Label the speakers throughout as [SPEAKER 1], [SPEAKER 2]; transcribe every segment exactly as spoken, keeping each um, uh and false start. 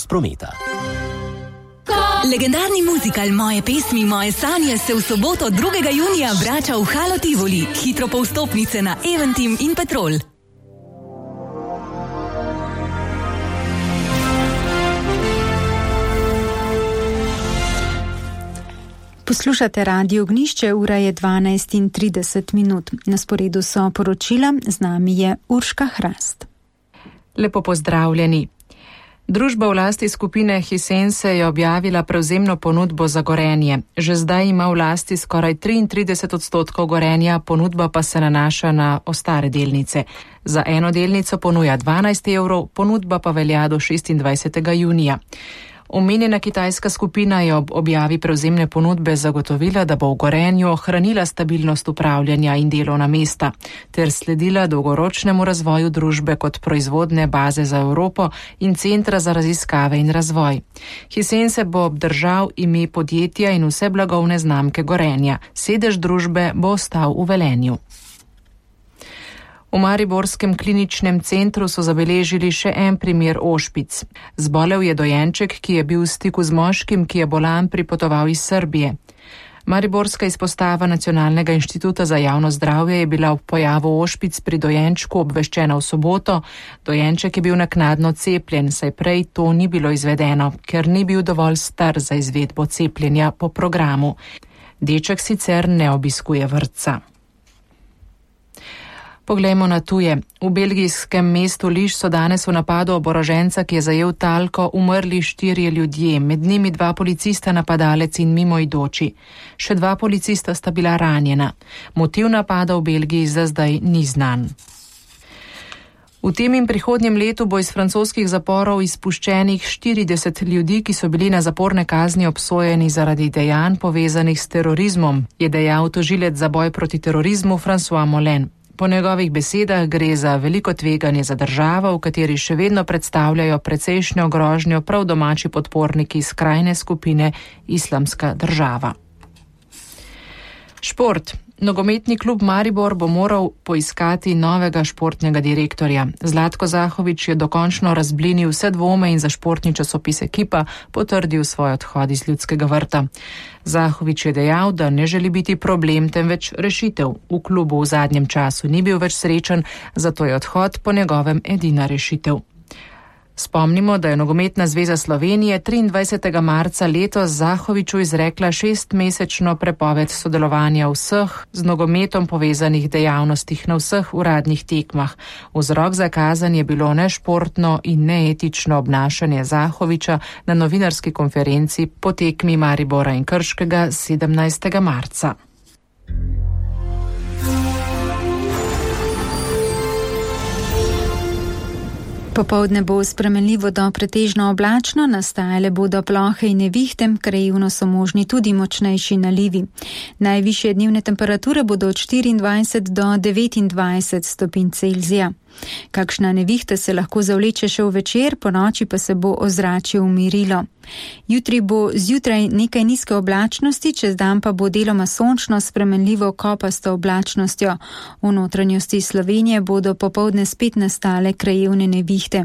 [SPEAKER 1] prometa.
[SPEAKER 2] Legendarni muzikal Moje pesmi, moje sanje se v soboto drugega junija vrača v Halo Tivoli. Hitro po vstopnice na Eventim in Petrol.
[SPEAKER 3] Poslušate Radio Ognjišče, ura je dvanajst in trideset minut. Na sporedu so poročila, z nami je Urška Hrast.
[SPEAKER 4] Lepo pozdravljeni. Družba v lasti skupine Hisense je objavila prevzemno ponudbo za Gorenje. Že zdaj ima v lasti skoraj triintrideset odstotkov Gorenja, ponudba pa se nanaša na ostale delnice. Za eno delnico ponuja dvanajst evrov, ponudba pa velja do šestindvajsetega junija. Omenjena kitajska skupina je ob objavi prevzemne ponudbe zagotovila, da bo v Gorenju ohranila stabilnost upravljanja in delovna mesta, ter sledila dolgoročnemu razvoju družbe kot proizvodne baze za Evropo in centra za raziskave in razvoj. Hisense bo obdržal ime podjetja in vse blagovne znamke Gorenja. Sedež družbe bo ostal v Velenju. V mariborskem kliničnem centru so zabeležili še en primer ošpic. Zbolel je dojenček, ki je bil v stiku z moškim, ki je bolan pripotoval iz Srbije. Mariborska izpostava Nacionalnega inštituta za javno zdravje je bila ob pojavu ošpic pri dojenčku obveščena v soboto. Dojenček je bil naknadno cepljen, saj prej to ni bilo izvedeno, ker ni bil dovolj star za izvedbo cepljenja po programu. Deček sicer ne obiskuje vrtca. Poglejmo na tuje. V belgijskem mestu Liž so danes v napadu oboroženca, ki je zajel talko, umrli štirje ljudje, med njimi dva policista, napadalec in mimoidoči. Še dva policista sta bila ranjena. Motiv napada v Belgiji za zdaj ni znan. V tem in prihodnjem letu bo iz francoskih zaporov izpuščenih štirideset ljudi, ki so bili na zaporne kazni obsojeni zaradi dejanj povezanih s terorizmom, je dejal tožilec za boj proti terorizmu François Molin. Po njegovih besedah gre za veliko tveganje za državo, v kateri še vedno predstavljajo precejšnjo grožnjo prav domači podporniki skrajne skupine Islamska država. Šport. Nogometni klub Maribor bo moral poiskati novega športnega direktorja. Zlatko Zahovič je dokončno razblinil vse dvome in za športni časopis Ekipa potrdil svoj odhod iz Ljudskega vrta. Zahovič je dejal, da ne želi biti problem, temveč rešitev. V klubu v zadnjem času ni bil več srečen, zato je odhod po njegovem edina rešitev. Spomnimo, da je Nogometna zveza Slovenije triindvajsetega marca letos Zahoviču izrekla šestmesečno prepoved sodelovanja vseh z nogometom povezanih dejavnostih na vseh uradnih tekmah. Vzrok za kazen je bilo nešportno in neetično obnašanje Zahoviča na novinarski konferenci po tekmi Maribora in Krškega sedemnajstega marca.
[SPEAKER 3] Popoldne bo spremenljivo do pretežno oblačno, nastajale bodo plohe in nevihte, krajevno so možni tudi močnejši nalivi. Najvišje dnevne temperature bodo od štiriindvajset do devetindvajset stopinj Celzija. Kakšna nevihta se lahko zavleče še v večer, po noči pa se bo ozračje umirilo. Jutri bo zjutraj nekaj nizke oblačnosti, čez dan pa bo deloma sončno spremenljivo kopasto oblačnostjo. V notranjosti Slovenije bodo popoldne spet nastale krajevne nevihte.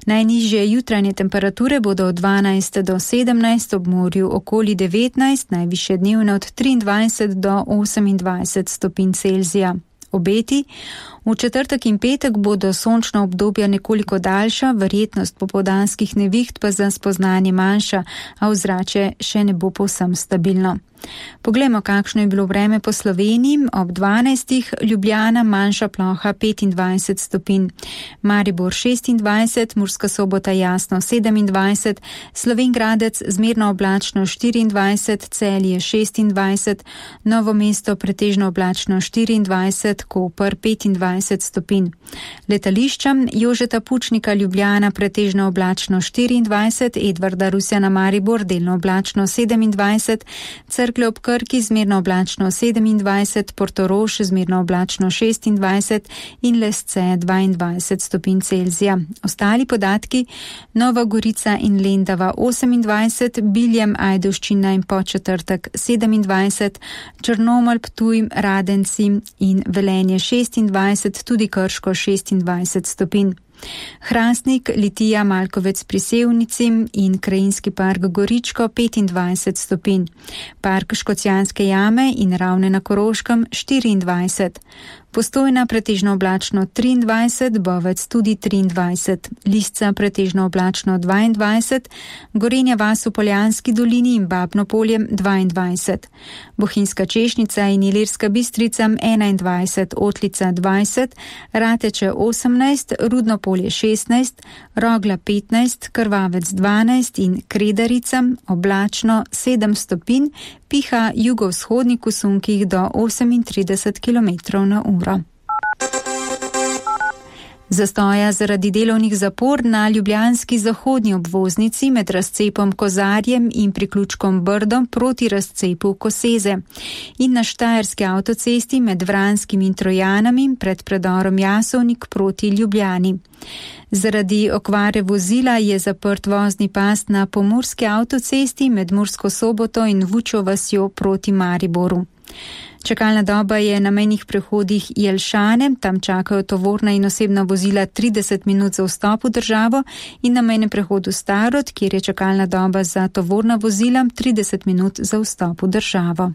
[SPEAKER 3] Najnižje jutranje temperature bodo od dvanajst do sedemnajst, ob morju okoli devetnajst, najvišje dnevne od triindvajset do osemindvajset stopinj Celzija. Obeti. V četrtek in petek bodo sončna obdobja nekoliko daljša, verjetnost popoldanskih neviht pa za spoznanje manjša, a ozračje še ne bo povsem stabilno. Poglejmo, kakšno je bilo vreme po Sloveniji. Ob dvanajstih Ljubljana manjša ploha petindvajset stopinj, Maribor šestindvajset, Murska Sobota jasno sedemindvajset, Slovenj Gradec zmerno oblačno štiriindvajset, Celje šestindvajset, Novo mesto pretežno oblačno štiriindvajset, Koper petindvajset stopinj. Letališča Jožeta Pučnika Ljubljana pretežno oblačno štiriindvajset, Edvarda Rusjana Maribor delno oblačno sedemindvajset, Cerklje ob Krki zmerno oblačno sedemindvajset, Portorož zmerno oblačno šestindvajset in Lesce dvaindvajset stopinj Celzija. Ostali podatki: Nova Gorica in Lendava osemindvajset, Biljem, Ajdovščina in Podčetrtek sedemindvajset, Črnomelj, Ptuj, Radenci in Velenje šestindvajset, tudi Krško šestindvajset stopinj. Hrastnik, Litija, Malkovec pri Sevnici in Krajinski park Goričko petindvajset stopinj. Park Škocjanske jame in Ravne na Koroškem štiriindvajset. Postojna pretežno oblačno triindvajset, Bovec tudi triindvajset, Lisca pretežno oblačno dvaindvajset, Gorenja vas v Poljanski dolini in Babno polje dvaindvajset, Bohinjska Češnica in Ilirska Bistrica enaindvajset, Otlica dvajset, Rateče osemnajst, Rudno polje šestnajst, Rogla petnajst, Krvavec dvanajst in Kredarica oblačno sedem stopinj, piha jugovzhodnik v sunkih do osemintrideset kilometrov na uro. Zastoja zaradi delovnih zapor na ljubljanski zahodni obvoznici med razcepom Kozarjem in priključkom Brdo proti razcepu Koseze in na štajerski avtocesti med Vranskim in Trojanami pred predorom Jasovnik proti Ljubljani. Zaradi okvare vozila je zaprt vozni pas na pomurski avtocesti med Mursko Soboto in Vučjo vasjo proti Mariboru. Čakalna doba je na mejnih prehodih Jelšane, tam čakajo tovorna in osebna vozila trideset minut za vstop v državo, in na mejnem prehodu Starod, kjer je čakalna doba za tovorna vozila trideset minut za vstop v državo.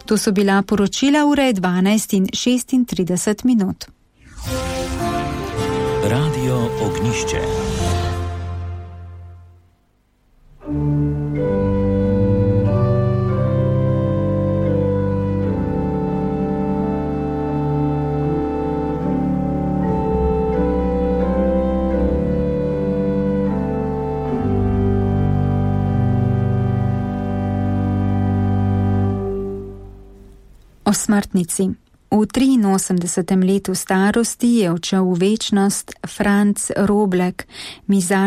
[SPEAKER 3] To so bila poročila, ura je dvanajst in šestintrideset minut.
[SPEAKER 1] Radio Ognišče.
[SPEAKER 3] O smrtnici. V triinosemdesetem letu starosti je odšel v večnost Franc Roblek, mizarski